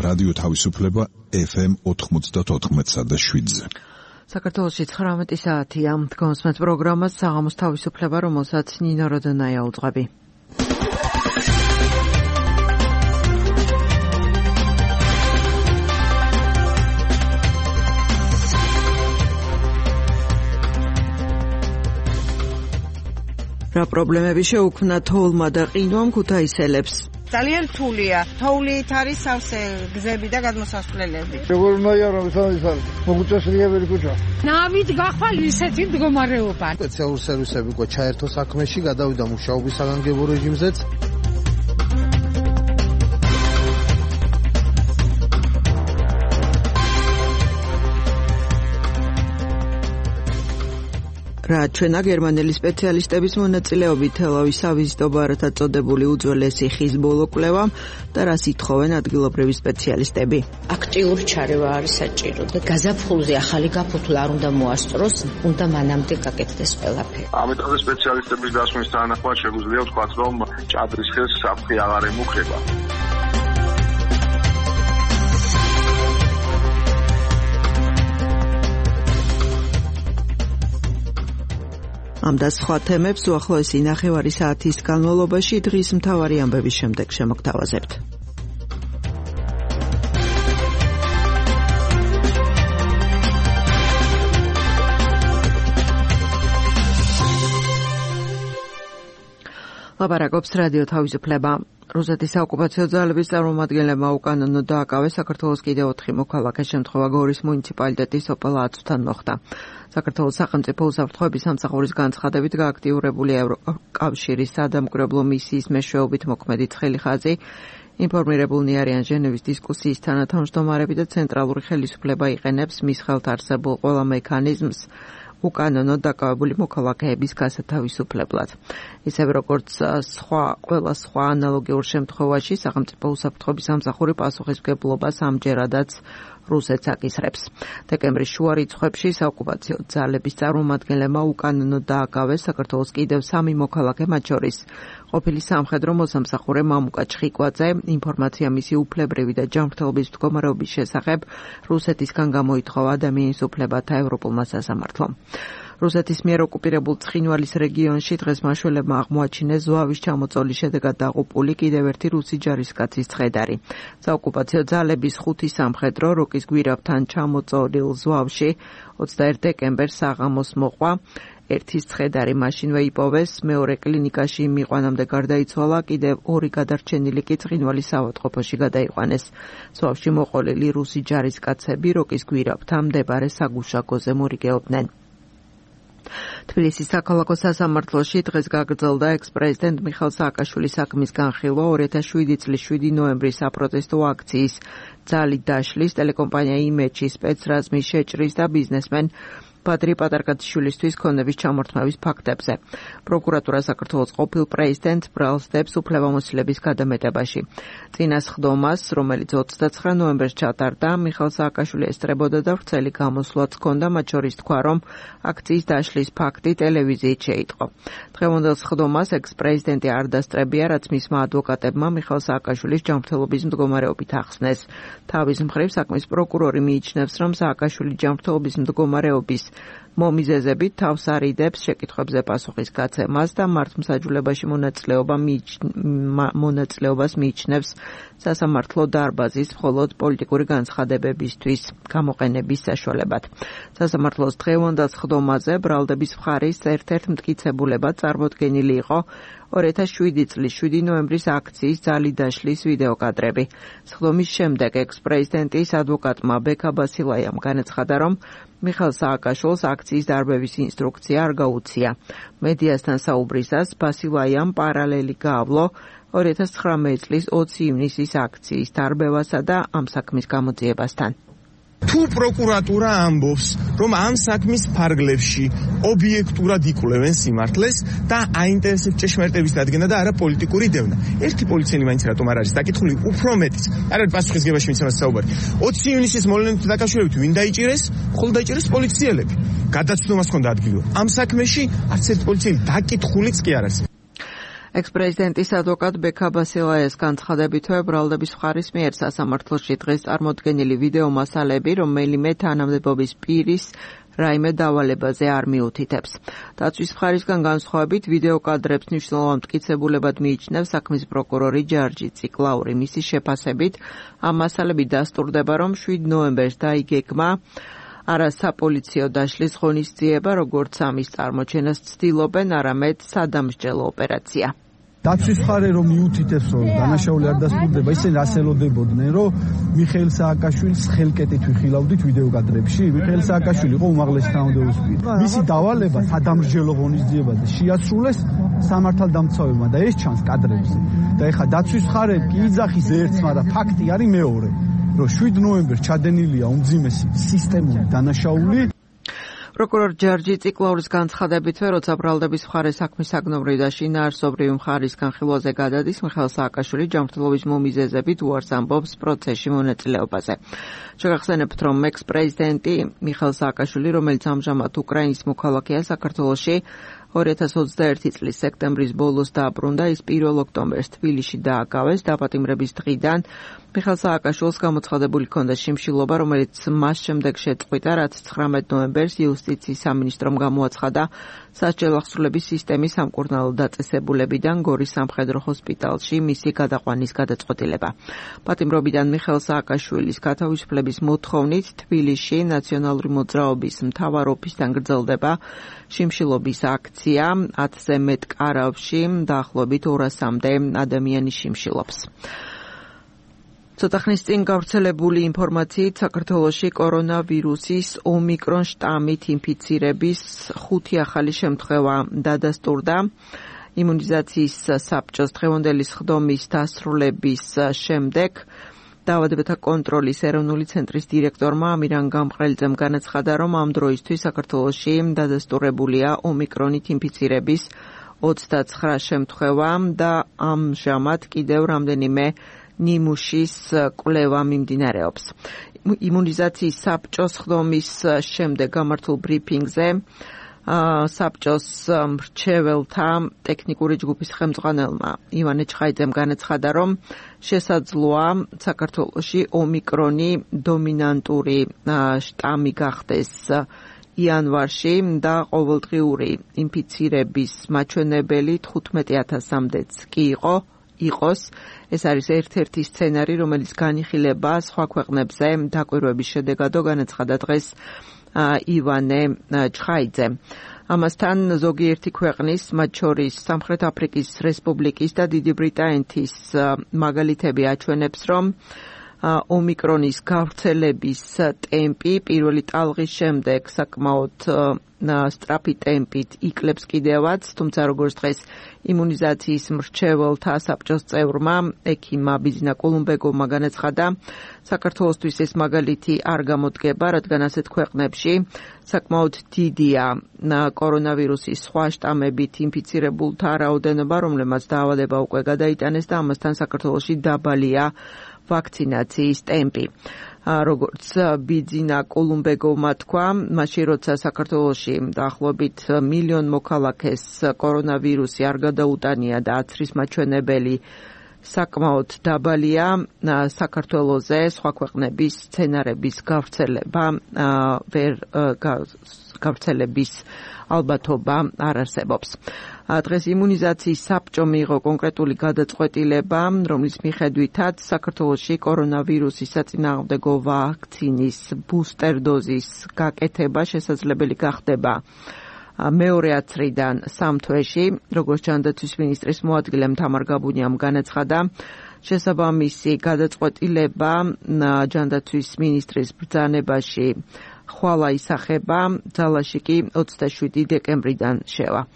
რადიო თავისუფლება FM 94.7-ზე. საქართველოში 19 საათია. გონსმენთ პროგრამას საღამოს თავისუფლება, რომელსაც ნინო როდონაია უძღვები. რა პრობლემები შეუქმნა თოვლმა და ყინვამ ქუთაისელებს? ძალიან რთულია. თოვლით არის სავსე გზები და გადმოსასვლელები. როგორ უნდა იარო მოგვიწესრიებელი ქუჩა. ნავით გახვალ ისეთი მდგომარეობა. სპეციალური სერვისები ყო ჩაერთო საქმეში, გადავიდა მუშაობის საგანგებო რეჟიმზეც. რა ჩვენა გერმანელი სპეციალისტების მონაწილეობით თელავის სავიზიტო ბარათად წოდებული უძველესი ხის ბოლო კვლევა და რას ითხოვენ ადგილობრივი სპეციალისტები. აქტიური ჩარევა არის საჭირო და გაზაფხულზე ახალი გაფოთლა არ უნდა მოასწროს, უნდა მანამდე გაკეთდეს ყველაფერი. ამიტომ სპეციალისტების დასვნის თანახმად შეგვიძლია ვთქვათ, რომ ჭადრის ხეს საფრთხე აღარ ემუქრება. ამ და სხვა თემებს უახლოესი ნახევარი საათის განმავლობაში დღის მთავარი ამბების შემდეგ შემოგთავაზებთ. ლაპარაკობს რადიო თავისუფლება. რუსეთის საოკუპაციო ძალების წარმომადგენლებმა უკანონოდ დააკავეს საქართველოს კიდევ 4 მოქალაქე შემთხვევა გორის მუნიციპალიტეტის ოპელაცთან მოხდა. საქართველოს სახელმწიფო უსაფრთხოების სამსახურის განცხადებით გააქტიურებული ევროკავშირის სადამკვირვებლო მისიის მეშვეობით მოქმედი ცხელი ინფორმირებულნი არიან ჟენევის დისკუსიის თანათავმჯდომარები და ცენტრალური ხელისუფლება იყენებს მის ხელთ არსებულ ყველა მექანიზმს უკანონოდ დაკავებული მოქალაქეების გასათავისუფლებლად. ისევე როგორც ყველა სხვა ანალოგიურ შემთხვევაში სახელმწიფო უსაფრთხოების სამსახური პასუხისმგებლობას ამჯერადაც რუსეთს აკისრებს. დეკემბრის შუა რიცხვებში საოკუპაციო ძალების წარმომადგენლებმა უკანონოდ დააკავეს საქართველოს კიდევ 3 მოქალაქე, მათ შორის ყოფილი სამხედრო მოსამსახურე მამუკა ჩხიკვაძე. ინფორმაცია მისი უფლებრივი და ჯანმრთელობის მდგომარეობის შესახებ რუსეთისგან გამოითხოვა ადამიანის უფლებათა ევროპულმა სასამართლომ. რუსეთის მიერ ოკუპირებულ ცხინვალის რეგიონში დღეს მაშველებმა აღმოაჩინეს ზვავის ჩამოწოლის შედეგად დაღუპული კიდევ ერთი რუსი ჯარისკაცის ცხედარი. საოკუპაციო ძალების 5 სამხედრო როკის გვირავთან ჩამოწოლილ ზვავში 21 დეკემბერს საღამოს მოყვა. ერთის ცხედარი მაშინვე იპოვეს, მეორე კლინიკაში მიყვანამდე გარდაიცვალა, კიდევ 2 გადარჩენილი კი ცხინვალის ავადმყოფოში გადაიყვანეს. ზვავში მოყოლილი რუსი ჯარისკაცები როკის გვირავთან მდებარე საგუშაგოზე მორიგეობდნენ. თბილისის საქალაქო სასამართლოში დღეს გაგრძელდა ექს-პრეზიდენტ მიხეილ სააკაშვილის საქმის განხილვა 2007 წლის 7 ნოემბრის საპროტესტო აქციის ძალით დაშლის, ტელეკომპანია იმედში სპეცრაზმის შეჭრის და ბიზნესმენ ბადრი პატარკაძიშვილისთვის ქონების ჩამორთმევის ფაქტებზე. პროკურატურა საქართველოს ყოფილ პრეზიდენტს ბრალსდებს უფლებამოსილების გადამეტებაში. წინა სხდომას, რომელიც 29 ნოემბერს ჩატარდა, მიხეილ სააკაშვილი ესწრებოდა და ვრცელი გამოსვლაც ჰქონდა, მათ შორის თქვა, რომ აქციის დაშლის ფაქტი ტელევიზიით შეიტყო. დღევანდელ სხდომას ექს-პრეზიდენტი არ დასწრებია, რაც მისმა ადვოკატებმა მიხეილ სააკაშვილის ჯანმრთელობის მდგომარეობით ახსნეს. თავის მხრივ საქმის პროკურორი მიიჩნევს, რომ სააკაშვილი ჯანმრთელობის მდგომარეობის მომიზეზებით თავს არიდებს შეკითხვებზე პასუხის გაცემას და მართლმსაჯულებაში მონაწილეობას მიიჩნევს სასამართლო დარბაზის მხოლოდ პოლიტიკური განცხადებებისთვის გამოყენების საშუალებად. სასამართლოს დღევანდელ სხდომაზე ბრალდების მხარის ერთ-ერთ მტკიცებულებად წარმოდგენილი იყო 2007 წლის 7 ნოემბრის აქციის ძალით დაშლის ვიდეოკადრები. სხდომის შემდეგ ექს-პრეზიდენტის ადვოკატმა ბექა ბასილაიამ განაცხადა, რომ მიხეილ სააკაშვილს აქციის დარბევის ინსტრუქცია არ გაუცია. მედიასთან საუბრისას ბასილაიამ პარალელი გაავლო 2019 წლის 20 ივნისის აქციის დარბევასა და ამ საქმის გამოძიებასთან. თუ პროკურატურა ამბობს, რომ ამ საქმის ფარგლებში ობიექტურად იკვლევენ სიმართლეს და აინტერესებს ჭეშმარიტების დადგენა და არა პოლიტიკური დევნა. ერთი პოლიციელი მაინც რატომ არ არის დაკითხული, უფრო მეტიც. არ არის პასუხისგებაში მიცემას საუბარი. 20 ივნისის მოვლენით დაკავშირებით ვინ დაიჭირეს? მხოლოდ დაიჭირეს პოლიციელები. გადაცნობას ჰქონდა ადგილობრივ. ამ საქმეში არც ერთ პოლიციელი დაკითხულიც კი არ არის. ექს-პრეზიდენტის ადვოკატ ბექა ბასილაიას განცხადებითვე ბრალდების მხარის მიერ სასამართლოში დღეს წარმოდგენილი ვიდეო მასალები რომელიმე თანამდებობის პირის რაიმე დავალებაზე არ მიუთითებს. დაცვის მხარისგან განსხვავებით ვიდეო კადრებს მნიშვნელოვან მტკიცებულებად მიიჩნევს საქმის პროკურორი ჯარჯი ციკლაური. მისი შეფასებით ამ მასალები დასტურდება, რომ 7 ნოემბერს დაიგეგმა არა საპოლიციო დაშლის ღონისძიება, როგორც ამის წარმოჩენას ცდილობენ, არამედ სადამსჯელო ოპერაცია. დაცვის მხარე რომ მიუთითებს, რომ დანაშაული არ დასტურდება, ისინი რას ელოდებოდნენ, რომ მიხეილ სააკაშვილის ხელკეტით ვიხილავდით ვიდეო კადრებში. მიხეილ სააკაშვილი იყო უმაღლესი თანამდებობის პირი. მისი დავალება სადამსჯელო ღონისძიებაზე შეასრულეს სამართალდამცავებმა და ეს ჩანს კადრებზე. და ეხლა დაცვის მხარე კი იძახის ერთს, მაგრამ ფაქტი არის მეორე. რომ 7 ნოემბერს ჩადენილია უმძიმესი სისტემური დანაშაული. პროკურორ ჯარჯი ციკლაურის განცხადებითვე, როცა ბრალდების მხარე საქმის საგნობრივ და შინაარსობრივი მხარის განხილვაზე გადადის, მიხეილ სააკაშვილი ჯანმრთელობის მომიზეზებით უარს ამბობს პროცესში მონაწილეობაზე. შეგახსენებთ, რომ ექს-პრეზიდენტი მიხეილ სააკაშვილი, რომელიც ამჟამად უკრაინის მოქალაქეა საქართველოში, 2021 წლის სექტემბრის ბოლოს დაბრუნდა, ის 1 ოქტომბერს თბილისში დააკავეს. დაპატიმრების დღიდან მიხეილ სააკაშვილს გამოცხადებული ჰქონდა შიმშილობა, რომელიც მას შემდეგ შეწყვიტა, რაც 19 ნოემბერს იუსტიციის სამინისტრომ გამოაცხადა სასჯელ ახსრულების სისტემის სამკურნალო დაწესებულებიდან გორის სამხედრო ჰოსპიტალში მისი გადაყვანის გადაწყვეტილება. პატიმრობიდან მიხეილ სააკაშვილის გათავისუფლების მოთხოვნით თბილისში ნაციონალური მოძრაობის მთავარ ოფისთან გრძელდება შიმშილობის აქცია. 10-ზე მეტ კარავში დაახლოებით 200-მდე ადამიანი შიმშილობს. ცოტა ხნის წინ გავრცელებული ინფორმაციით საქართველოში კორონავირუსის ომიკრონ შტამით ინფიცირების 5 ახალი შემთხვევა დადასტურდა. იმუნიზაციის საბჭოს დღევანდელი სხდომის დასრულების შემდეგ დაავადებათა კონტროლის ეროვნული ცენტრის დირექტორმა ამირან გამყრელიძემ განაცხადა, რომ ამ დროისთვის საქართველოში დადასტურებულია ომიკრონით ინფიცირების 29 შემთხვევა და ამჟამად კიდევ რამდენიმე ნიმუშის კვლევა მიმდინარეობს. იმუნიზაციის საბჭოს სხდომის შემდეგ გამართულ ბრიფინგზე საბჭოს მრჩეველთა ტექნიკური ჯგუფის ხელმძღვანელმა ივანე ჩხაიძემ განაცხადა, რომ შესაძლოა საქართველოში ომიკრონი დომინანტური შტამი გახდეს იანვარში და ყოველდღიური ინფიცირების მაჩვენებელი 15,000-მდეც კი იყოს. ეს არის ერთ-ერთი სცენარი, რომელიც განიხილება სხვა ქვეყნებზე დაკვირვების შედეგადო, განაცხადა დღეს ივანე ჩხაიძემ. ამასთან ზოგიერთი ქვეყნის, მათ შორის სამხრეთ აფრიკის რესპუბლიკის და დიდი ბრიტანეთის მაგალითები აჩვენებს, რომ ომიკრონის გავრცელების ტემპი პირველი ტალღის შემდეგ საკმაოდ სწრაფი ტემპით იკლებს კიდევაც, თუმცა როგორც დღეს იმუნიზაციის მრჩეველთა საბჭოს წევრმა ექიმმა ბიძინა კოლუმბეგოვმა განაცხადა, საქართველოსთვის ეს მაგალითი არ გამოდგება, რადგან ასეთ ქვეყნებში საკმაოდ დიდია კორონავირუსის სხვა შტამებით ინფიცირებულთა რაოდენობა, რომლებმაც დაავადება უკვე გადაიტანეს და ამასთან საქართველოში დაბალია ვაქცინაციის ტემპი. როგორც ბიძინა კოლუმბეგოვმა თქვა, მაშინ როცა საქართველოში დაახლოებით 1 მილიონ მოქალაქეს კორონავირუსი არ გადაუტანია და აცრის მაჩვენებელი საკმაოდ დაბალია, საქართველოზე სხვა ქვეყნების სცენარების გავრცელების ალბათობა არ არსებობს. დღეს იმუნიზაციის საბჭომ მიიღო კონკრეტული გადაწყვეტილება, რომლის მიხედვითაც საქართველოში კორონავირუსის საწინააღმდეგო ვაქცინის ბუსტერ დოზის გაკეთება შესაძლებელი გახდება მეორე ათრიდან 3 თვეში, როგორც ჯანდაცვის მინისტრის მოადგილემ თამარ გაბუნიამ განაცხადა, შესაბამისი გადაწყვეტილება ჯანდაცვის მინისტრის ბრძანებაში ხვალა ისახება, ძალაში კი 27 დეკემბრიდან შევა.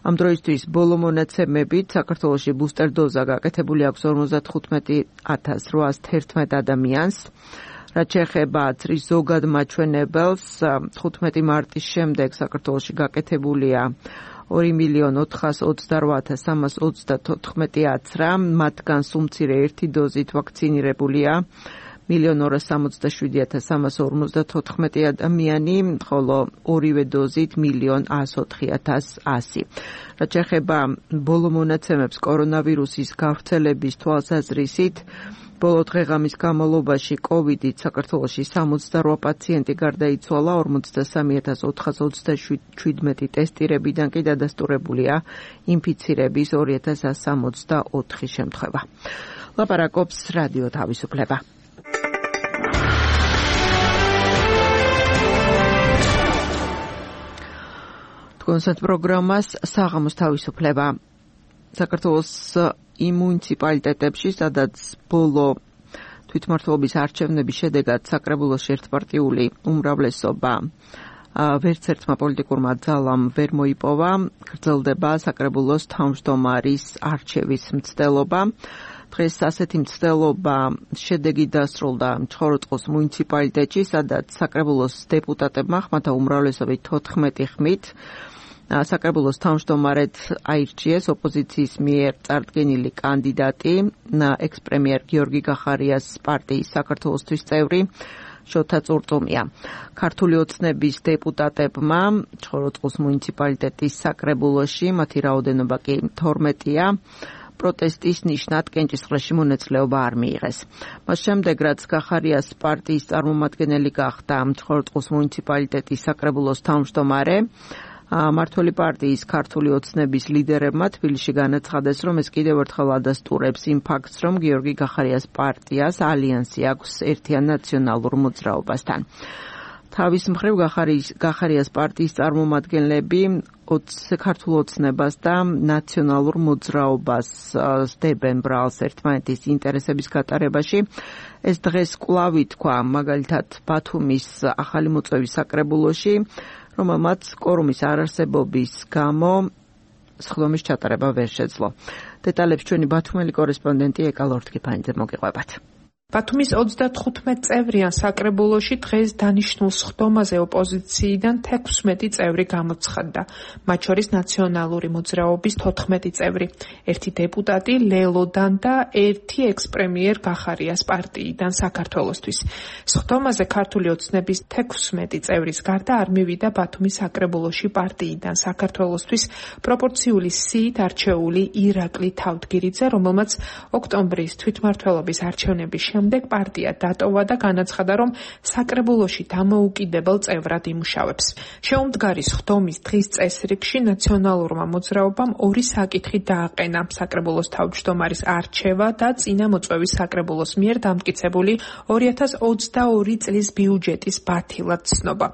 ამ დროისთვის ბოლო მონაცემებით საქართველოში ბუსტერ დოზა გაკეთებული აქვს 55,811 ადამიანს. რაც შეეხება აცრის ზოგად მაჩვენებელს, 15 მარტის შემდეგ საქართველოში გაკეთებულია 2,428,324 აცრა, მათგან სულ მცირე ერთი დოზით ვაქცინირებულია 1,267,354 ადამიანი, ხოლო ორივე დოზით 1,104,100. რაც შეეხება ბოლო მონაცემებს კორონავირუსის გავრცელების თვალსაზრისით, ბოლო დღეღამის განმავლობაში COVID-ით საქართველოში 68 პაციენტი გარდაიცვალა, 43,427 ტესტირებიდან კი დადასტურებულია ინფიცირების 2,164 შემთხვევა. ლაპარაკობს რადიო თავისუფლება. კონსერტ პროგრამას საღამოს თავისუფლება. საქართველოს იმ მუნიციპალიტეტებში, სადაც ბოლო თვითმმართველობის არჩევნების შედეგად საკრებულოში ერთპარტიული უმრავლესობა ვერც ერთმა პოლიტიკურმა ძალამ ვერ მოიპოვა, გრძელდება საკრებულოს თავმჯდომარის არჩევის მცდელობა. დღეს ასეთი მცდელობა შედეგი დასრულდა ჩხოროწყუს მუნიციპალიტეტში, სადაც საკრებულოს დეპუტატებმა ხმათა უმრავლესობით 14 ხმით საკრებულოს თავმჯდომარედ აირჩიეს ოპოზიციის მიერ წარდგენილი კანდიდატი, ექს-პრემიერ გიორგი გახარიას პარტიის საქართველოსთვის წევრი შოთა წურწუმია. ქართული ოცნების დეპუტატებმა ჩხოროწყუს მუნიციპალიტეტის საკრებულოში, მათი რაოდენობა კი 12-ია, პროტესტის ნიშნად კენჭისყრაში მონაწილეობა არ მიიღეს. მას შემდეგ, რაც გახარიას პარტიის წარმომადგენელი გახდა ჩხოროწყუს მუნიციპალიტეტის საკრებულოს თავმჯდომარე, მმართველი პარტიის ქართული ოცნების ლიდერებმა თბილისში განაცხადეს, რომ ეს კიდევ ერთხელ ადასტურებს იმ ფაქტს, რომ გიორგი გახარიას პარტიას ალიანსი აქვს ერთიან ნაციონალურ მოძრაობასთან. თავის მხრივ გახარიას პარტიის წარმომადგენლები ქართულ ოცნებას და ნაციონალურ მოძრაობას სდებენ ბრალს ერთმანეთის ინტერესების გატარებაში. ეს დღეს კვლავ ითქვა მაგალითად ბათუმის ახალი მოწვევის საკრებულოში, რომელმაც კორუმის არარსებობის გამო სხდომის ჩატარება ვერ შეძლო. დეტალებს ჩვენი ბათუმელი კორესპონდენტი ეკა ლორთქიფანიძე მოგიყვებათ. ბათუმის 35 წევრიან საკრებულოში დღეს დანიშნულ სხდომაზე ოპოზიციიდან 16 წევრი გამოცხადდა, მათ შორის ნაციონალური მოძრაობის 14 წევრი, ერთი დეპუტატი ლელოდან და ერთი ექს-პრემიერ გახარიას პარტიიდან საქართველოსთვის. სხდომაზე ქართული ოცნების 16 წევრის გარდა არ მივიდა ბათუმის საკრებულოში პარტიიდან საქართველოსთვის პროპორციული სიით არჩეული ირაკლი თავდგირიძე, რომელმაც ოქტომბრის თვითმმართველობის არჩევნების შემდეგ პარტია დატოვა და განაცხადა, რომ საკრებულოში დამოუკიდებელ წევრად იმუშავებს. შეუმდგარი სხდომის დღის წესრიგში ნაციონალურმა მოძრაობამ ორი საკითხი დააყენა: საკრებულოს თავმჯდომარის არჩევა და წინა მოწვევის საკრებულოს მიერ დამტკიცებული 2022 წლის ბიუჯეტის ბათილად ცნობა.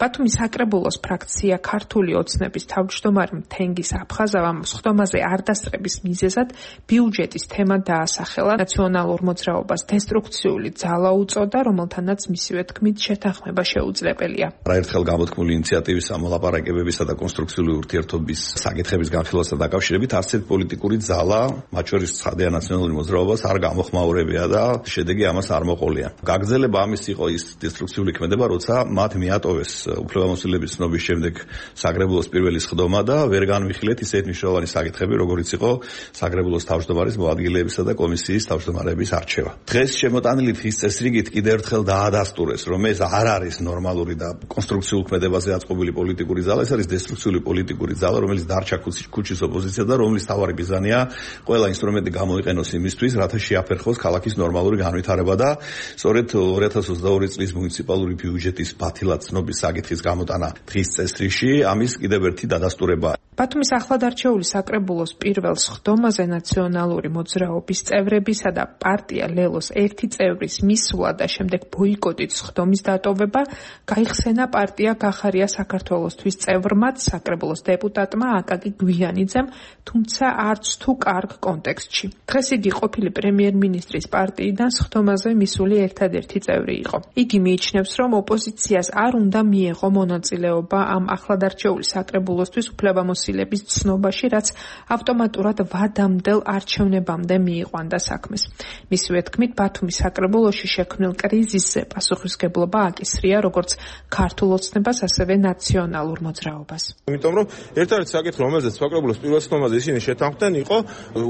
ბათუმის საკრებულოს ფრაქცია ქართული ოცნების თავმჯდომარე თენგის აფხაზავამ სხდომაზე არ დასწრების მიზეზად ბიუჯეტის თემა დაასახელა, ნაციონალურ მოძრაობას დესტრუქციული ძალა უწოდა, რომელთანაც მისივე თქმით შეთანხმება შეუძლებელია. არაერთხელ გამოთქმული ინიციატივის მოლაპარაკებებისა და კონსტრუქციული ურთიერთობის საკითხების განხილვასთან დაკავშირებით არც ერთ პოლიტიკური ძალა, მათ შორის ცხადია ნაციონალური მოძრაობას, არ გამოხმაურებია და შედეგი ამას არ მოყოლია. გაგრძელება ამის იყო ის დესტრუქციული ქმედება, როცა მათ მიატოვეს უფლებამოსილების ცნობის შემდეგ საკრებულოს პირველი სხდომა და ვერ განვიხილეთ ისეთ მნიშვნელოვანი საკითხები, როგორიც იყო საკრებულოს თავმჯდომარის მოადგილეებისა და კომისიის თავმჯდომარეების არჩევა. დღეს შემოტანილი დღის წესრიგით კიდევ ერთხელ დაადასტურეს, რომ ეს არ არის ნორმალური და კონსტრუქციულ ქმედებაზე აწყობილი პოლიტიკური ძალა, ეს არის დესტრუქციული პოლიტიკური ძალა, რომელიც დარჩა ქუჩის ოპოზიცია და რომლის თავარი მიზანია ყველა ინსტრუმენტი გამოიყენოს იმისთვის, რათა შეაფერხოს ქალაქის ნორმალური განვითარება და სწორედ 2022 წლის მუნიციპალური ბიუჯეტის ბათილად ცნობის საკითხის გამოტანა დღის წესრიგში ამის კიდევ ერთი დადასტურება. ბათუმის ახლად არჩეული საკრებულოს პირველ სხდომაზე ნაციონალური მოძრაობის წევრებისა და პარტია ლელოს ერთი წევრის მისვლა და შემდეგ ბოიკოტით სხდომის დატოვება გაიხსენა პარტია გახარია საქართველოსთვის წევრმაც, საკრებულოს დეპუტატმა აკაკი გვიანიძემ, თუმცა არც თუ კარგ კონტექსტში. დღეს იგი ყოფილი პრემიერ-მინისტრის პარტიიდან სხდომაზე მისული ერთადერთი წევრი იყო. იგი მიიჩნევს, რომ ოპოზიციას არ უნდა მიეღო მონაწილეობა ამ ახლად არჩეული საკრებულოსთვის უფლებამოსილების ცნობაში, რაც ავტომატურად ვადამდელ არჩევნებამდე მიიყვანდა საქმეს. მისივე თქმით, ბათუმის საკრებულოში შექმნილ კრიზისზე პასუხისმგებლობა აკისრია როგორც ქართულ ოცნებას, ასევე ნაციონალურ მოძრაობას. იმიტომ რომ ერთ-ერთი საკითხი, რომელზეც საკრებულოს პირველ ცნობაზე ისინი შეთანხმდნენ, იყო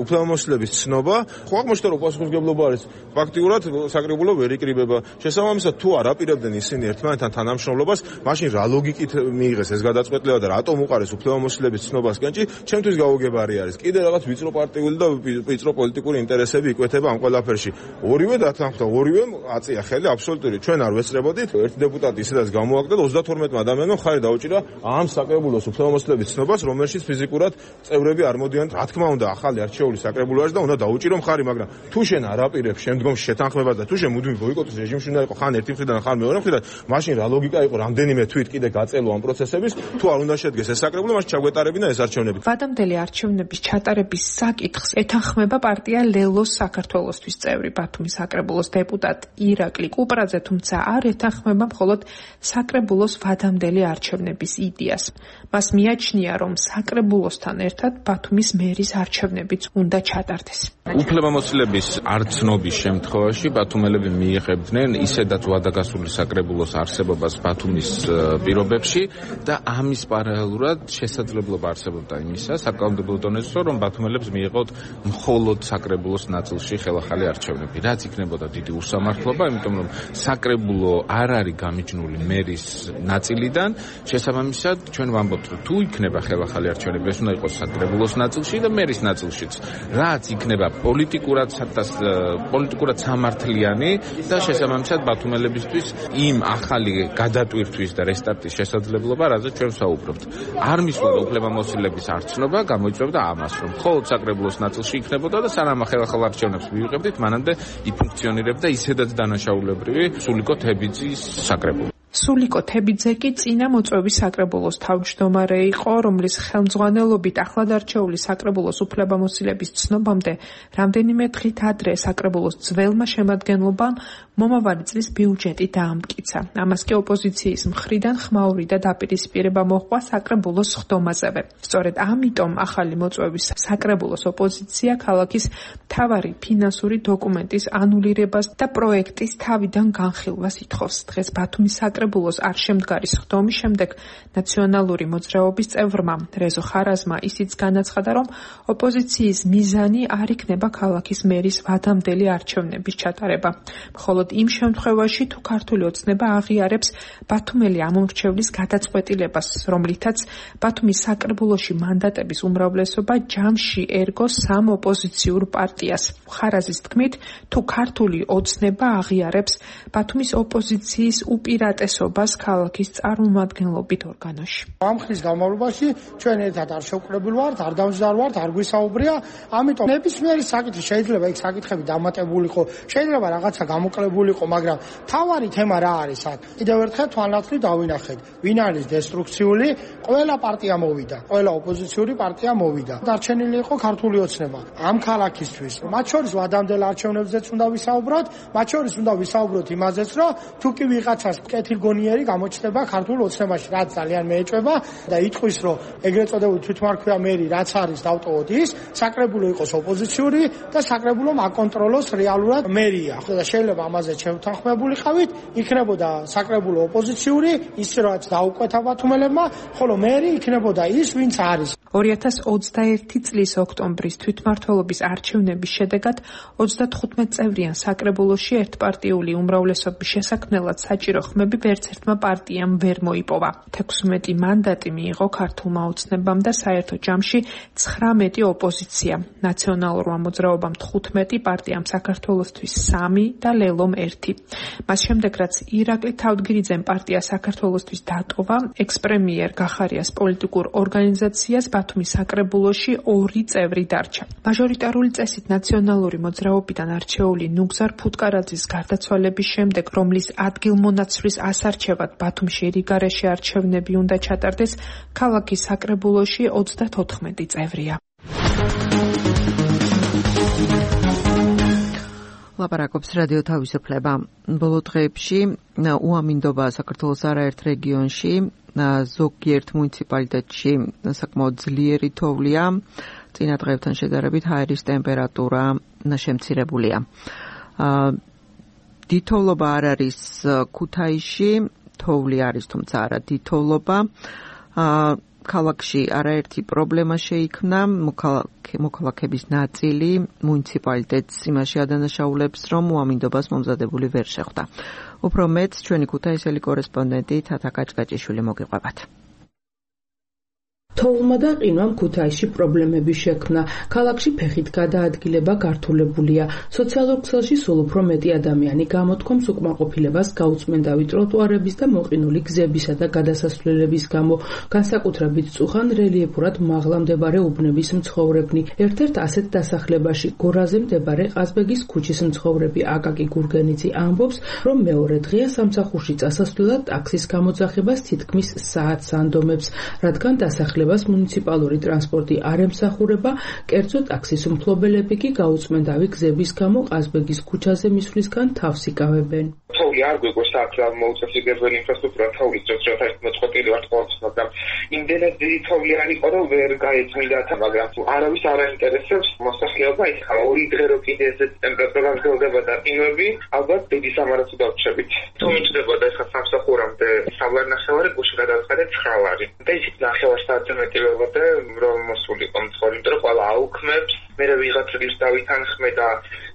უფლებამოსილების ცნობა. ხო აღმოჩნდა, რომ პასუხისმგებლობა არის ფაქტიურად საკრებულო ვერ იკრიბება. შესაბამისად, თუ არ აპირებდნენ ისინი ერთმანეთთან თანამშრომლობას, მაშინ რა ლოგიკით მიიღეს ეს გადაწყვეტილება და რატომ უყარეს უფლებამოსილების ცნობასკენ? ჩემთვის გაუგებარი არის. კიდე რაღაც ვიწრო პარტიული და ვიწრო პოლიტიკური ინტერესები იკვეთება ამ ყველაფერში. ორივე დათანხმდა, ორივე აწია ხელი აბსოლუტური. ჩვენ არ ვესწრებოდით. ერთი დეპუტატი ისედაც გამოაგდა და 32 ადამიანმა ხარი დაუჭირა ამ საკრებულოს უფლებამოსილების ცნობას, რომელშიც ფიზიკურად წევრები არ მოდიან. რა თქმა უნდა, ახალი არჩეული საკრებულო არის და უნდა დაუჭირო მხარი, მაგრამ თუ შენ არ აპირებ შემდგომ შეთანხმებას და თუ შენ მუდმივ ბოიკოტის რეჟიმში უნდა იყო ხან ერთი მხრიდან, ხან მეორე მხრიდან, მაშინ რა ლოგიკა იყო რამდენიმე თვით კიდე გაწელო ამ პროცესების, თუ არ უნდა შედგეს ეს საკრებულო, მაშინ ჩაგვეტარებინა ეს არჩევნები. ვადამდელი არჩევნების ჩატარების საკითხს ეთანხმება პარტია ლელოს საქართველოსთვის წევრი ბათუმის საკრებულოს დეპუტატი ირაკლი კუპრაძე, თუმცა არ ეთანხმება მხოლოდ საკრებულოს ვადამდელი არჩევნების იდეას. მას მიაჩნია, რომ საკრებულოსთან ერთად ბათუმის მერის არჩევნებიც უნდა ჩატარდეს. უფლებამოსილების არცნობის შემთხვევაში ბათუმელები მიიღებდნენ ისედაც ვადაგასული საკრებულოს არსებობას ბათუმის პირობებში და ამის პარალელურად შესაძლებლობა არსებობდა იმისა საკანონმდებლო დონეზე, რომ ბათუმელებს მიიღოთ მხოლოდ საკრებულოს ნაწილში ხელახალი არჩევნები. რაც იქნებოდა დიდი უსამართლობა, იმიტომ რომ საკრებულო არ არის გამიჯნული მერის ნაწილიდან, შესაბამისად ჩვენ ვამბობთ, რომ თუ იქნება ხელახალი არჩევნები, ეს უნდა იყოს საკრებულოს ნაწილში და მერის ნაწილშიც. რაც იქნება პოლიტიკურად სამართლიანი და შესაბამისად ბათუმელებისთვის იმ ახალი გადატვირთვის და რესტარტის შესაძლებლობა, რაზეც ჩვენ ვსაუბრობთ. არ მისვლა უფლებამოსილების არცნობა, გამოიწვევდა ამას, რომ მხოლოდ საკრებულოს ნაწილში იქნებოდა და სანამ ხელახალ არჩევნებს მივიღებდით, მანამდე იფუნქციონირებდა ისედაც დანაშაულებრივი სულიკო თებიძის საკრებულო. სულიკო თებიძე კი წინა მოწვევის საკრებულოს თავმჯდომარე იყო, რომლის ხელმძღვანელობით ახლად არჩეული საკრებულოს უფლებამოსილების ცნობამდე რამდენიმე დღით ადრე საკრებულოს ძველმა შემადგენლობამ მომავალი წლის ბიუჯეტი დაამტკიცა. ამას კი ოპოზიციის მხრიდან ხმაური და დაპირისპირება მოჰყვა საკრებულოს ხდომაზევე. სწორედ ამიტომ ახალი მოწვევის საკრებულოს ოპოზიცია ქალაქის მთავარი ფინანსური დოკუმენტის ანულირებას და პროექტის თავიდან განხილვას ითხოვს. დღეს ბათუმის საკრებულოს არ შემდგარის ხდომის შემდეგ ნაციონალური მოძრაობის წევრმა რეზო ხარაზმა ისიც განაცხადა, რომ ოპოზიციის მიზანი არ იქნება ქალაქის მერის ვადამდელი არჩევნების ჩატარება. მხოლოდ იმ შემთხვევაში, თუ ქართული ოცნება აღიარებს ბათუმელი ამომრჩევლის გადაწყვეტილებას, რომლითაც ბათუმის საკრებულოში მანდატების უმრავლესობა ჯამში ერგოს სამ ოპოზიციურ პარტიას. ხარაზის თქმით, თუ ქართული ოცნება აღიარებს ბათუმის ოპოზიციის უპირატესობას ქალაქის წარმომადგენლობით ორგანოში. ამ ხნის განმავლობაში ჩვენ ერთად არ შევკრებულ ვართ, არ დამზარ ვართ, არ გვისაუბრია, ამიტომ ნებისმიერი საკითხი შეიძლება იქ საკითხები დამატებულიყო, შეიძლება რაღაცა გამოკლebulიყო, მაგრამ თავარი თემა რა არის აქ? კიდევ ერთხელ თვალნათლივ დავინახეთ, ვინ არის დესტრუქციული, ყველა პარტია მოვიდა, ყველა ოპოზიციური პარტია მოვიდა. დარჩენილი იყო ქართული ოცნება ამ ქალაქისთვის. მათ შორის ვადამდელ არჩევნებზეც უნდა ვისაუბროთ, მათ შორის უნდა ვისაუბროთ იმაზეც, რომ თუ კი ვიღაცას კეთილგონიერი გამოჩნდება ქართულ ოცნებაში, რაც ძალიან მეეჭვება და იტყვის, რომ ეგრეთ წოდებული თვითმარქვია მერი რაც არის დავტოვოთ ის, საკრებულო იყოს ოპოზიციური და საკრებულომ აკონტროლოს რეალურად მერია. და შეიძლება ამაზე შევთანხმებულიყავით, იქნებოდა საკრებულო ოპოზიციური, ის რაც დაუკვეთა ბათუმელებმა, ხოლო მერი იქნებოდა ის, ვინც არის. 2021 წლის ოქტომბრის თვითმმართველობის არჩევნების შედეგად 35 წევრიან საკრებულოში ერთპარტიული უმრავლესობის შესაქმნელად საჭირო ხმები ვერც ერთმა პარტიამ ვერ მოიპოვა. 16 მანდატი მიიღო ქართულმა ოცნებამ და საერთო ჯამში 19 ოპოზიცია. ნაციონალურმა მოძრაობამ 15, პარტიამ საქართველოსთვის 3 და ლელომ 1. მას შემდეგ, რაც ირაკლი თავდგირიძემ პარტია საქართველოსთვის დატოვა, ექს-პრემიერ გახარიას პოლიტიკურ ორგანიზაციას ბათუმის საკრებულოში 2 წევრი დარჩა. მაჟორიტარული წესით ნაციონალური მოძრაობიდან არჩეული ნუგზარ ფუტკარაძის გარდაცვალების შემდეგ, რომლის ადგილმონაცვლის ასარჩევად ბათუმში რიგარეში არჩევნები უნდა ჩატარდეს, ქალაქის საკრებულოში 34 წევრია. ლაპარაკობს რადიო თავისუფლება. ბოლო დღეებში უამინდობა საქართველოს არაერთ რეგიონში, ზოგიერთ მუნიციპალიტეტში საკმაოდ ძლიერი თოვლია. წინა დღეებთან შედარებით ჰაერის ტემპერატურა შემცირებულია. დითოვლობა არ არის ქუთაისში, თოვლი არის, თუმცა არა დითოვლობა. ქალაქში არაერთი პრობლემა შეიქმნა, მოქალაქეების ნაწილი მუნიციპალიტეტს იმაში ადანაშაულებს, რომ უამინდობას მომზადებული ვერ შეხვდა. უფრო მეტს ჩვენი ქუთაისელი კორესპონდენტი თათა კაჭკაჭიშვილი მოგიყვებათ. თოვლმა და ყინვამ ქუთაისში პრობლემები შექმნა. ქალაქში ფეხით გადაადგილება გართულებულია. სოციალურ ქსელში სულ უფრო მეტი ადამიანი გამოთქვამს უკმაყოფილებას გაუწმენდავი ტროტუარების და მოყინული გზებისა და გადასასვლელების გამო. განსაკუთრებით წუხან რელიეფურად მაღლა მდებარე უბნების მცხოვრებნი. ერთ-ერთ ასეთ დასახლებაში გორაზე მდებარე ყაზბეგის ქუჩის მცხოვრები აკაკი გურგენიძე ამბობს, რომ მეორე დღეა სამსახურში წასასვლელად ტაქსის გამოძახებას თითქმის საათს ანდომებს, რადგან დასახლებას მუნიციპალური ტრანსპორტი არ ემსახურება, კერძო ტაქსის მფლობელები კი გაუწმენდავი გზების გამო ყაზბეგის ქუჩაზე მისვლისგან თავს იკავებენ. თოვლი არ გვიყვარს აქ მოუწესრიგებელი ინფრასტრუქტურა თოვლის ძროხით მოწყობილი ვართ ყოველთვის, მაგრამ იმდენად დიდი თოვლი არ იყო, რომ ვერ გაეწმინდა, მაგრამ არავის არ აინტერესებს მოსახლეობა. იქ ორი დღე რო კიდე ეს ტემპერატურა გრძელდება და ყინვები, ალბათ დიდი სამარაცი დავჭებით. თუ მიჭდებოდა ეს სამსახურამდე სავლარ ნახევარი გუში გადავხადეთ 9 ლარი. და ისიც ნახევარ საათზე მეტი ვეღოთ რომ მოსულიყო მცხოვრები, იმიტომ რომ ყველა აუქმებს, მე ვიღაც რიგს დავითანხმე და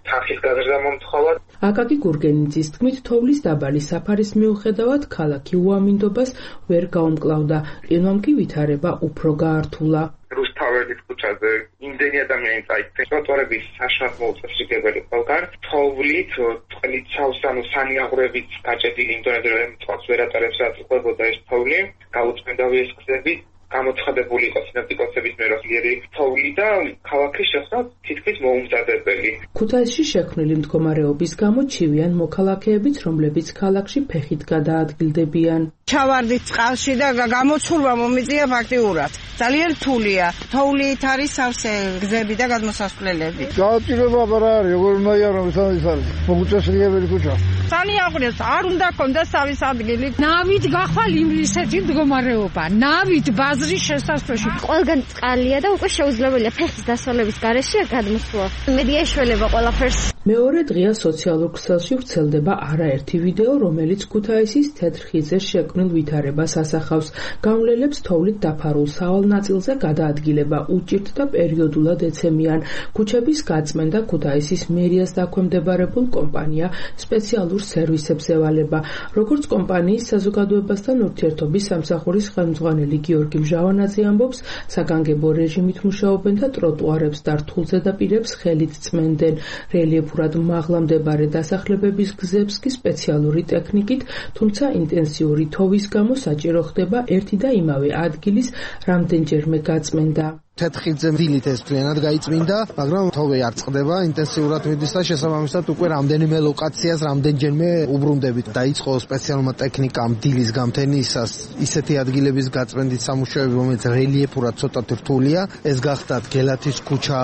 თანხის გაზრდა მომთხოვა. აკაკი გურგენიძის თქმით, თოვლის დაბალი საფარის მიუხედავად ქალაქი უამინდობას ვერ გაუმკლავდა. ყინვამ კი ვითარება უფრო გაართულა. რუსთაველის ქუჩაზე იმდენი ადამიანი წაიქცა, ტროტუარების საშუალო მოუწესრიგებელი ყველგან თოვლით, წყლით სავსანო სანიაღვრებით გაჭედილი იმდენად რომ წყალს ვერ ატარებს, რაც ყვებოდა ეს თოვლი, გაუწმენდავი ეს გზები გამოცხადებული იყო სინოპტიკოსების მიერ ძლიერი თოვლი და ქალაქის შესახებ თითქმის მოუმზადებელი. ქუთაისში შექმნილი მდგომარეობის გამო ჩივიან მოქალაქეებიც, რომლებიც ქალაქში ფეხით გადაადგილდებიან. ჩავარდით წყალში და გამოცურვა მომიწია ფაქტიურად. ძალიან რთულია. თოვლით არის სავსე გზები და გადმოსასვლელები. გააჭირება არა არის, როგორ უნდა იარო ეს არის. მოუწესრიგებელი ქუჩა. სანიაღვრეს არ უნდა კონდეს სავის ადგილი. ნავით გახვალ ისეთი მდგომარეობა. ნავით ბაზრის შესასვლელში ყველგან წყალია და უკვე შეუძლებელია ფეხის დასავლების გარეშე გადმოსვლა. მედია ეშველება ყველაფერს. მეორე დღეა სოციალურ ქსელში ვრცელდება არაერთი ვიდეო, რომელიც ქუთაისის თეთრ ხიდზე შექმნილ ვითარებას ასახავს. გამლელებს თოვლით დაფარულ სავალ ნაწილზე გადაადგილება უჭირთ და პერიოდულად ეცემიან. ქუჩების გაწმენდა ქუთაისის მერიას დაქვემდებარებულ კომპანია სპეციალურ სერვისებს ევალება. როგორც კომპანიის საზოგადოებასთან ურთიერთობის სამსახურის ხელმძღვანელი გიორგი მჟავანაძე ამბობს, საგანგებო რეჟიმით მუშაობენ და ტროტუარებს და რთულ ზედაპირებს ხელით წმენდნენ. რელიეფურად მაღლა მდებარე დასახლებების გზებს კი სპეციალური ტექნიკით, თუმცა ინტენსიური თოვის გამო საჭირო ხდება ერთი და იმავე ადგილის რამდენჯერმე გაწმენდა. თეთრხიდზე დილით ეს მთლიანად გაიწმინდა, მაგრამ თოვი არ წყდება, ინტენსიურად მიდის და შესაბამისად უკვე რამდენიმე ლოკაციას რამდენჯერმე უბრუნდებით. დაიწყო სპეციალურმა ტექნიკამ დილის გამთენისას ისეთი ადგილების გაწმენდით სამუშაოები, რომელიც რელიეფურად ცოტა რთულია. ეს გახდათ გელათის ქუჩა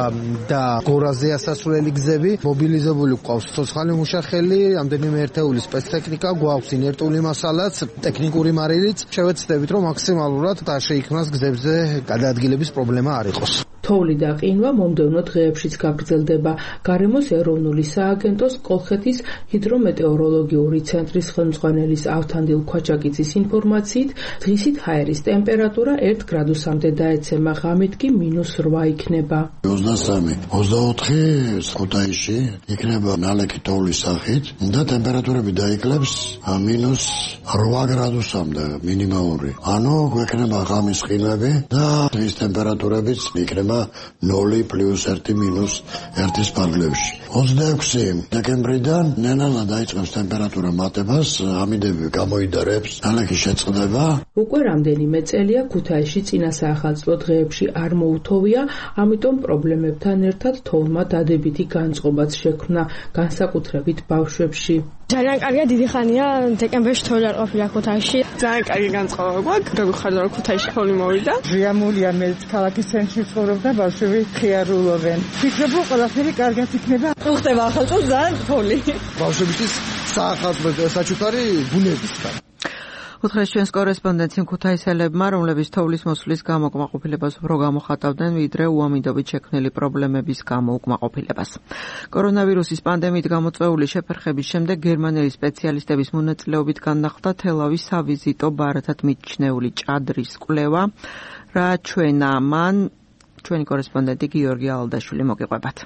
და გორაზე ასასვლელი გზები. მობილიზებული გვყავს ცოცხალი მუშახელი, რამდენიმე ერთეული სპეცტექნიკა, გვაქვს ინერტული მასალაც, ტექნიკური მარილიც. შევეცდებით, რომ მაქსიმალურად არ შეიქმნას გზებზე გადაადგილების პრობლემა არ იყოს. თოვლი და ყინვა მომდევნო დღეებშიც გაგრძელდება. გარემოს ეროვნული სააგენტოს კოლხეთის ჰიდრომეტეოროლოგიური ცენტრის ხელმძღვანელის ავთანდილ ქვაჩაკიძის ინფორმაციით, დღისით ჰაერის ტემპერატურა 1 გრადუსამდე დაეცემა, ღამით კი -8 იქნება. 23-24 ქუთაისში იქნება ნალექი თოვლის სახით და ტემპერატურები დაიკლებს -8 გრადუსამდე მინიმალური. ანუ გვექნება ღამის ყინვები და დღის ტემპერატურებიც იქნება 0 +1 -1 ფარგლებში. 26 დეკემბრიდან ნელა დაიწყებს ტემპერატურა მატებას, ამიდები გამოიდარებს, ნალექი შეწყდება. უკვე რამდენიმე წელია ქუთაისში წინა საახალწლო დღეებში არ მოუთოვია, ამიტომ პრობლემებთან ერთად თოვლმა დადებითი განწყობაც შექმნა, განსაკუთრებით ბავშვებში. ძალიან კარგია, დიდი ხანია დეკემბერში თოვლი არ ყოფილა ქუთაისში. ძალიან კარგი განწყობა გვაქვს, გაგვიხარდა რომ ქუთაისში თოვლი მოვიდა. ჟიამულია, მე ქალაქის ცენტრში ვცხოვრობ და ბავშვები ხიარულობენ. ვფიქრობ, რომ ყველაფერი კარგად იქნება. უხდება ახალ წელს ძალიან თოვლი. ბავშვებისთვის საახალწლო საჩუქარი ბუნებისგან. უთხრეს ჩვენს კორესპონდენტს იმ ქუთაისელებმა, რომლებიც თოვლის მოსვლის გამო უკმაყოფილებას უფრო გამოხატავდნენ, ვიდრე უამინდობით შექმნილი პრობლემების გამო უკმაყოფილებას. კორონავირუსის პანდემიით გამოწვეული შეფერხების შემდეგ გერმანელი სპეციალისტების მონაწილეობით განახლდა თელავის სავიზიტო ბარათად მიჩნეული ჭადრის კვლევა, რა ჩვენა მან ჩვენი კორესპონდენტი გიორგი ალდაშვილი მოგიყვებათ.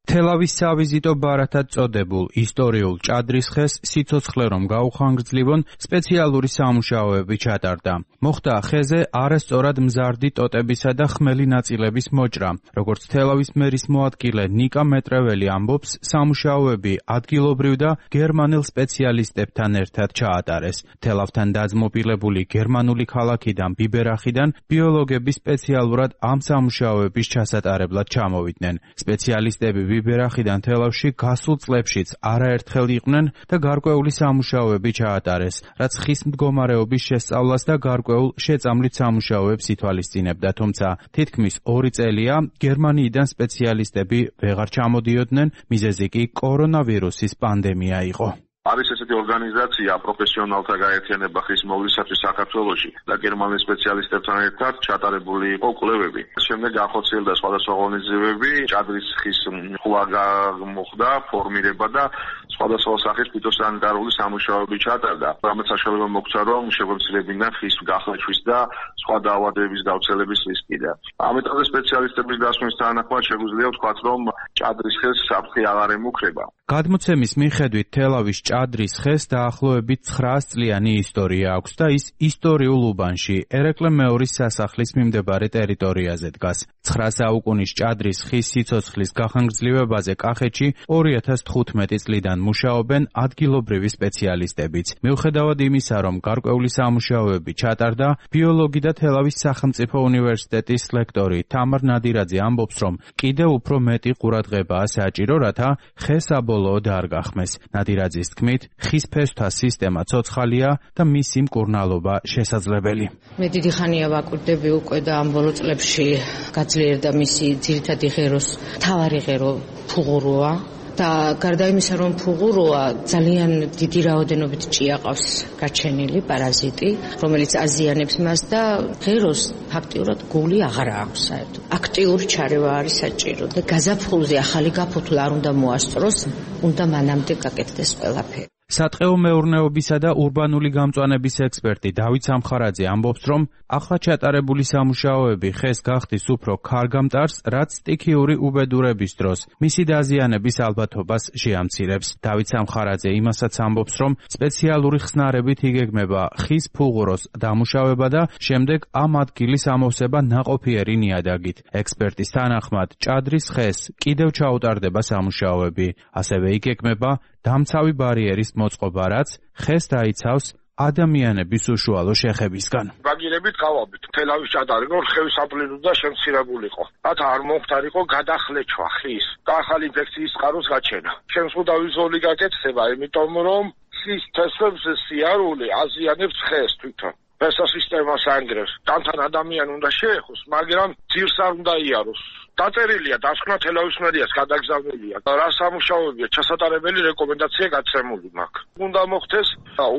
თელავის სავიზიტო ბარათად წოდებულ ისტორიულ ჭადრის ხეს სიცოცხლე რომ გაუხანგრძლივონ სპეციალური სამუშაოები ჩატარდა. მოხდა ხეზე არასწორად მზარდი ტოტებისა და ხმელი ნაწილების მოჭრა. როგორც თელავის მერის მოადგილე ნიკა მეტრეველი ამბობს, სამუშაოები ადგილობრივ და გერმანელ სპეციალისტებთან ერთად ჩაატარეს. თელავთან დაძმობილებული გერმანული ქალაქიდან ბიბერახიდან ბიოლოგები სპეციალურად ამ სამუშაოების ჩასატარებლად ჩამოვიდნენ. სპეციალისტები ბიბერახიდან თელავში გასულ წლებშიც არაერთხელ იყვნენ და გარკვეული სამუშაოები ჩაატარეს, რაც ხის მდგომარეობის შესწავლას და გარკვეულ შეწამლით სამუშაოებს ითვალისწინებდა, თუმცა თითქმის 2 წელია გერმანიიდან სპეციალისტები ვეღარ ჩამოდიოდნენ, მიზეზი კი კორონავირუსის პანდემია იყო. არის ესეთი ორგანიზაცია პროფესიონალთა გაერთიანება ხის მოვლისათვის საქართველოში და გერმანელ სპეციალისტებთან ერთად ჩატარებული იყო კვლევები. შემდეგ განხორციელდა სხვადასხვა ღონისძიებები, ჭადრის ხის ხვა მოხდა, ფორმირება და სხვადასხვა სახის ფიტოსანიტარული სამუშაოები ჩატარდა. რამაც საშუალება მოგვცა, რომ შეგვეცლებინა ხის გახლეჩვის და სხვა დაავადებების გავრცელების რისკი და ამ ეტაპზე სპეციალისტების დასვნის თანახმად შეგვიძლია ვთქვათ, რომ ჭადრის ხეს საფრთხე აღარ ემუქრება. გადმოცემის მიხედვით თელავის ჭადრის ხეს დაახლოებით 900 წლიანი ისტორია აქვს და ის ისტორიულ უბანში, ერეკლე მეორის სასახლის მიმდებარე ტერიტორიაზე დგას. 9 საუკუნის ჭადრის ხის სიცოცხლის გახანგრძლივებაზე კახეთში 2015 წლიდან მუშაობენ ადგილობრივი სპეციალისტებიც. მიუხედავად იმისა, რომ გარკვეული სამუშაოები ჩატარდა, ბიოლოგი და თელავის სახელმწიფო უნივერსიტეტის ლექტორი თამარ ნადირაძე ამბობს, რომ კიდევ უფრო მეტი ყურადღებაა საჭირო, რათა ხე საბოლოოდ არ გახმეს. ნადირაძის თქმით, ხის ფესვთა სისტემა ცოცხალია და მისი მკურნალობა შესაძლებელი. მე დიდი ხანია ვაკვირდები უკვე და ამ ბოლო წლებში გაძლიერდა მისი ძირითადი ღეროს მთავარი ღერო ფუღუროა. და გარდა იმისა, რომ ფუღუროა, ძალიან დიდი რაოდენობით ჭიაყავს გაჩენილი პარაზიტი, რომელიც აზიანებს მას და ღეროს ფაქტიურად გული აღარ აქვს საერთოდ. აქტიური ჩარევა არის საჭირო და გაზაფხულზე ახალი გაფოთლა არ უნდა მოასწროს, უნდა მანამდე გაკეთდეს ყველაფერი. სატყეო მეურნეობისა და ურბანული გამწვანების ექსპერტი დავით სამხარაძე ამბობს, რომ ახლა ჩატარებული სამუშაოები ხეს გახდის უფრო ქარგამტარს, რაც სტიქიური უბედურების დროს მისი დაზიანების ალბათობას შეამცირებს. დავით სამხარაძე იმასაც ამბობს, რომ სპეციალური ხსნარებით იგეგმება ხის ფუღუროს დამუშავება და შემდეგ ამ ადგილის ამოვსება ნაყოფიერი ნიადაგით. ექსპერტის თანახმად, ჭადრის ხეს კიდევ ჩაუტარდება სამუშაოები, ასევე იგეგმება დამცავი ბარიერის მოწყობა, რაც ხეს დაიცავს ადამიანების უშუალო შეხებისგან. ბაგირებით გავაბით თელავის ჭადარი, რომ ხევის ამპლიტუდა და შემცირებულიყო. რათა არ მომხდარიყო გადახლეჩვა ხის და ახალი ინფექციის წყაროს გაჩენა. შემსხუდა ვიზუალური გაკეთება, იმიტომ რომ ხის თესვებს სიარული აზიანებს ხეს თვითონ. ფესვთა სისტემას ანგრევს. თან ადამიანი უნდა შეეხოს, მაგრამ ძირს არ უნდა იაროს. დაწერილია დასკვნა თელავის მერიას გადაგზავნილია. რა სამუშაოებია ჩასატარებელი რეკომენდაცია გაცემული მაქვს. უნდა მოხდეს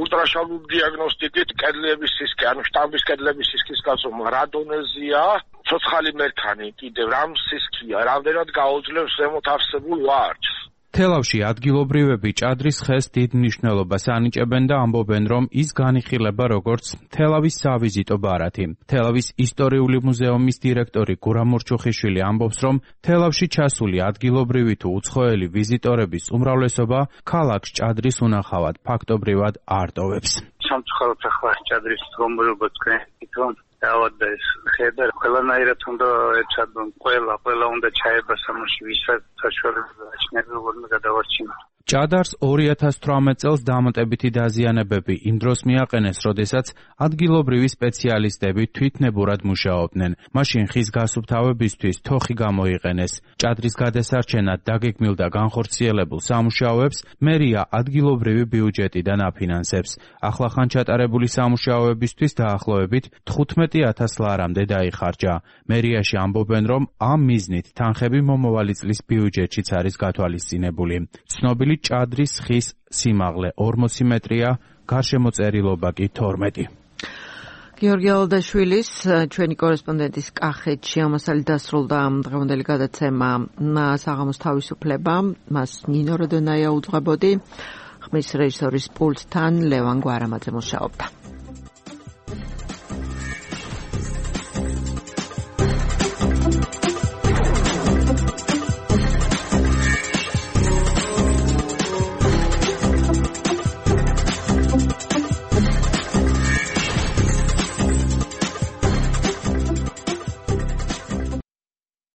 ულტრაშალული დიაგნოსტიკით კედლების სისქე, ანუ შტამბის კედლების სისქის გაწომა, რა დონეზია, ცოცხალი მერქანი კიდევ რამ სისქია, რამდენად გააძლევს ზემოთ არსებულ ვარჯს. თელავში ადგილობრივები ჭადრის ხეს დიდ მნიშვნელობას ანიჭებენ და ამბობენ, რომ ის განიხილება როგორც თელავის სავიზიტო ბარათი. თელავის ისტორიული მუზეუმის დირექტორი გურამ მურჩუხიშვილი ამბობს, რომ თელავში ჩასული ადგილობრივი თუ უცხოელი ვიზიტორების უმრავლესობა ქალაქს ჭადრის უნახავად ფაქტობრივად არ ტოვებს. სამწუხაროდ ახლა ჭადრის მდგომარეობა თქვენ და ეს ხედა ყველანაირად უნდა ეცადონ, ყველა უნდა ჩაება სამოში, ვისაც საშუალება აჩნია, როგორ გადავარჩინოთ. ჭადარს 2018 წელს დამატებითი დაზიანებები იმ დროს მიაყენეს, როდესაც ადგილობრივი სპეციალისტები თვითნებურად მუშაობდნენ. მაშინ ხის გასუფთავებისთვის თოხი გამოიყენეს. ჭადრის გადასარჩენად დაგეგმილ და განხორციელებულ სამუშაოებს მერია ადგილობრივი ბიუჯეტიდან აფინანსებს. ახლახან ჩატარებული სამუშაოებისთვის დაახლოებით 15,000 ლარამდე დაიხარჯა. მერიაში ამბობენ, რომ ამ მიზნით თანხები მომავალი წლის ბიუჯეტშიც არის გათვალისწინებული. ცნობილი ჭადრის ხის სიმაღლე 40 მეტრია, გარშემოწერილობა კი 12. გიორგი ალადაშვილის ჩვენი კორესპონდენტის კახეთში ამასალი დასრულდა დღევანდელი გადაცემა საღამოს თავისუფლება. მას ნინო როდონაია უძღვებოდი. ხმის რეჟისორის პულტთან ლევან გვარამაძე მუშაობდა.